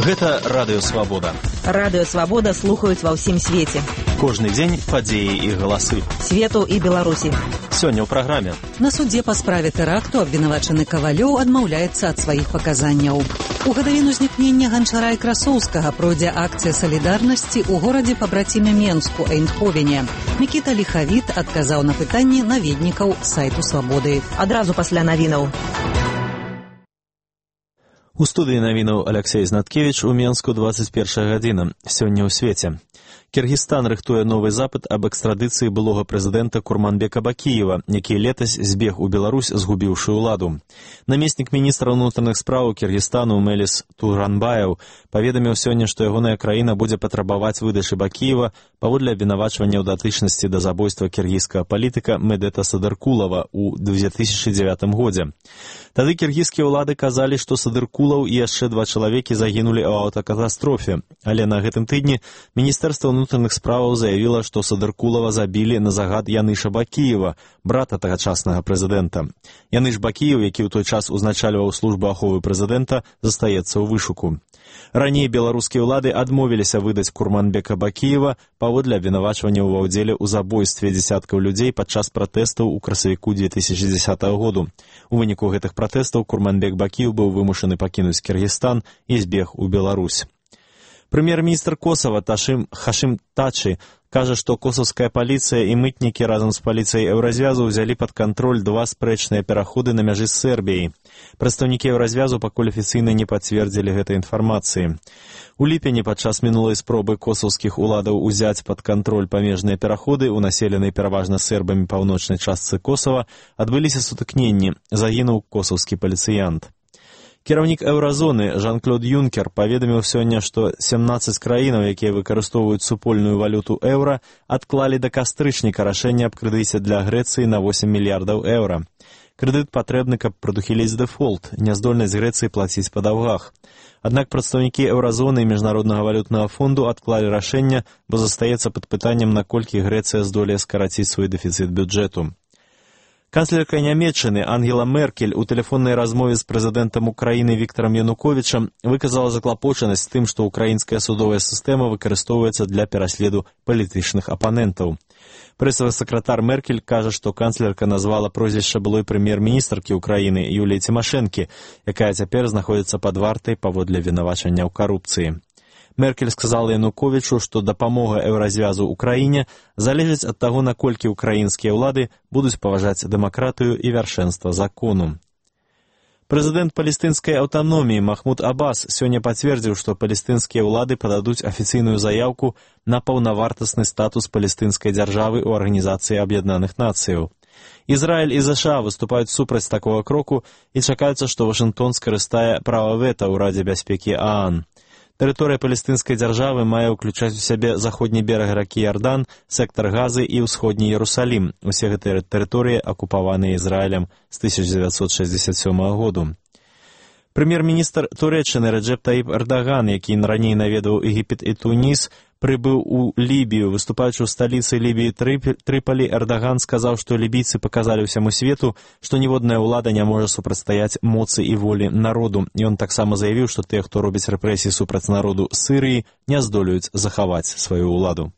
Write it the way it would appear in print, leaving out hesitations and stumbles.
Гэта Радыё Свабода. Радыё Свабода слухаюць ва ўсім свеце. Кожны дзень падзеі і галасы. Свету і Беларусі. Сёння ў праграме. На судзе па справе тэракту абвінавачаны Кавалёў адмаўляецца ад сваіх паказанняў. У гадавіну знікнення Ганчара і Красоўскага пройдзе акцыя салідарнасці ў горадзе пабраціме Менску, Эйндховене. Мікіта Ліхавіт адказаў на пытанні наведнікаў сайту Свабоды. Адразу пасля навінаў. У студыі навінаў Аляксей Знаткевіч у Менску 21 гадзіна. Сёння ў свеце. Кіргізстан рыхтуе новы запыт аб экстрадыцыі былога прэзідэнта Курманбека Бакіева, які летась збег у Беларусь, згубіўшы ўладу. Намеснік міністра ўнутраных спраў Кіргізстану Мелис Туранбаев паведаміў сёння, што ягоная краіна будзе патрабаваць выдачы Бакіева паводле абвінавачвання ў датычнасці да забойства кіргізскага палітыка Медета Садыркулова ў 2009 годзе. Тады кіргізскія ўлады казалі, што Садыркулаў і яшчэ 2 чалавекі загінулі ў аўтакатастрофе, але на гэтым тыдні Міністэрства ўнутраных справаў заявіла, што Садыркулава забілі на загад Яныша Бакіева, брата тагачаснага прэзідэнта. Яныш Бакіев, які ў той час узначальваў службу аховы прэзідэнта, застаецца ў вышуку. Раней беларускія ўлады адмовіліся выдаць Курманбека Бакіева паводле абвінавачвання ва ўдзеле ў забойстве дзесяткаў людзей падчас пратэстаў у красавіку 2010 году. У выніку гэтых пратэстаў Курманбек Бакіев быў вымушаны пакінуць Кіргізстан і збег у Беларусь. Прэм'ер-міністр Косава Хашим Тачи кажа, што косавская паліцыя і мытнікі разам з паліцыяй Еўразвязу ўзялі пад кантроль 2 спрэчныя пераходы на мяжы з Сербіяй. Прадстаўнікі Еўразвязу пакуль афіцыйна не пацвердзілі гэтай інфармацыі. У ліпені падчас мінулай спробы косаўскіх уладаў узяць пад кантроль памежныя пераходы ў населенай пераважна сербамі паўночнай частцы Косава адбыліся сутыкненні, загінуў косаўскі паліцыянт. Кіраўнік Еўразоны Жан-Клод Юнкер паведаміў сёння, што 17 краінаў, якія выкарыстоўваюць супольную валюту еўра, адклалі да кастрычніка рашэнне аб крэдыце для Грэцыі на 8 мільярдаў еўра. Крэдыт патрэбны, каб прадухіліць дэфолт, няздольнасць Грэцыі плаціць па даўгах. Аднак прадстаўнікі Еўразоны і Міжнароднага валютнага фонду адклалі рашэнне, бо застаецца пад пытаннем, наколькі Грэцыя здолее скараціць свой дэфіцыт бюджэту. Канцлерка Нямецчыны Ангела Меркель у тэлефоннай размове з прэзідэнтам Украіны Віктарам Януковічам выказала заклапочанасць тым, што ўкраінская судовая сістэма выкарыстоўваецца для пераследу палітычных апанентаў. Прэсавы сакратар Меркель кажа, што канцлерка назвала прозвішча былой прэм'ер-міністркі Украіны Юліі Цімашэнкі, якая цяпер знаходзіцца пад вартай паводле абвінавачання ў карупцыі. Меркель сказала Януковічу, што дапамога Еўразвязу Украіне залежыць ад таго, наколькі ўкраінскія ўлады будуць паважаць дэмакратыю і вяршэнства закону. Прэзідэнт палестынскай аўтаноміі Махмуд Аббас сёння пацвердзіў, што палестынскія ўлады пададуць афіцыйную заяўку на паўнавартасны статус палестынскай дзяржавы ў Арганізацыі Аб'яднаных Нацыяў. Ізраіль і ЗША выступаюць супраць такога кроку і чакаецца, што Вашынгтон скарыстае права вета ў Радзе бяспекі ААН. Тэрыторыя палестынскай дзяржавы мае ўключаць у сябе заходні бераг ракі Ярдан, сектар Газы і ўсходні Ерусалім. Усе гэтыя тэрыторыі акупаваныя Ізраілем з 1967 году. Прэм'ер-міністр Турэччыны Рэджэп Таіп Эрдаган, які раней наведаў Егіпет і Туніс, прыбыў у Лібію. Выступаючы ў сталіцы Лібіі Трыполі, Эрдаган сказаў, што лібійцы паказалі ўсяму свету, што ніводная ўлада не можа супрацьстаяць моцы і волі народу. Ён таксама заявіў, што тыя, хто робіць рэпрэсіі супраць народу Сірыі, не здолеюць захаваць сваю ўладу.